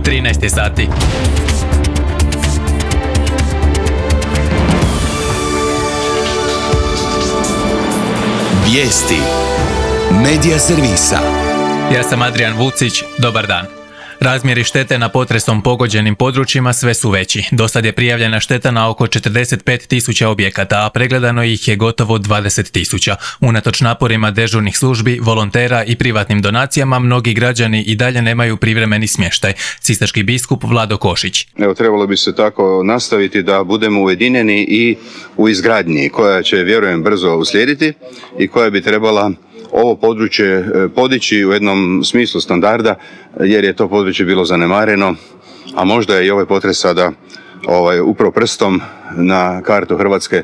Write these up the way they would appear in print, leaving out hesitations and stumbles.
13 sati. Vijesti Medija servisa. Ja sam Adrian Vucić, dobar dan. Razmjeri štete na potresom pogođenim područjima sve su veći. Dosad je prijavljena šteta na oko 45.000 objekata, a pregledano ih je gotovo 20.000. Unatoč naporima dežurnih službi, volontera i privatnim donacijama, mnogi građani i dalje nemaju privremeni smještaj. Sisački biskup Vlado Košić. Trebalo bi se tako nastaviti da budemo ujedinjeni i u izgradnji koja će, vjerujem, brzo uslijediti i koja bi trebala ovo područje podići u jednom smislu standarda, jer je to područje bilo zanemareno, a možda je i ovaj potres sada upravo prstom na kartu Hrvatske,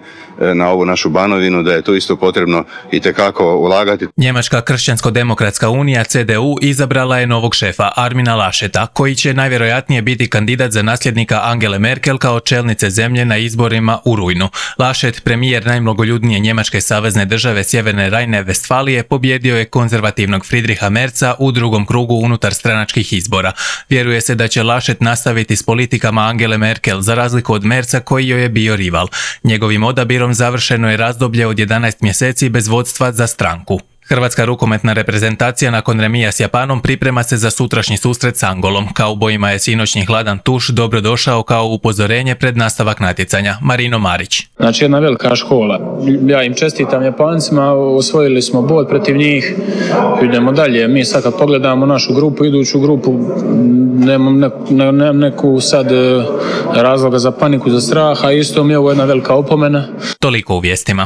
na ovu našu Banovinu, da je tu isto potrebno itekako ulagati. Njemačka kršćansko-demokratska unija CDU izabrala je novog šefa Armina Lascheta, koji će najvjerojatnije biti kandidat za nasljednika Angele Merkel kao čelnice zemlje na izborima u rujnu. Laschet, premijer najmnogoljudnije njemačke savezne države Sjeverne Rajne-Vestfalije, pobjedio je konzervativnog Friedricha Merza u drugom krugu unutar stranačkih izbora. Vjeruje se da će Laschet nastaviti s politikama Angele Merkel, za razliku od Merza koji joj je bio rival. Njegovim odabirom završeno je razdoblje od 11 mjeseci bez vodstva za stranku. Hrvatska rukometna reprezentacija nakon remija s Japanom priprema se za sutrašnji susret s Angolom. Kaubojima je sinoćni hladan tuš dobro došao kao upozorenje pred nastavak natjecanja. Marino Marić. Znači jedna velika škola. Ja im čestitam Japancima, osvojili smo bod protiv njih. Idemo dalje. Mi sad kad pogledamo našu grupu, iduću grupu, nemam neku sad razloga za paniku, za strah, a isto mi je ovo jedna velika opomena. Toliko u vijestima.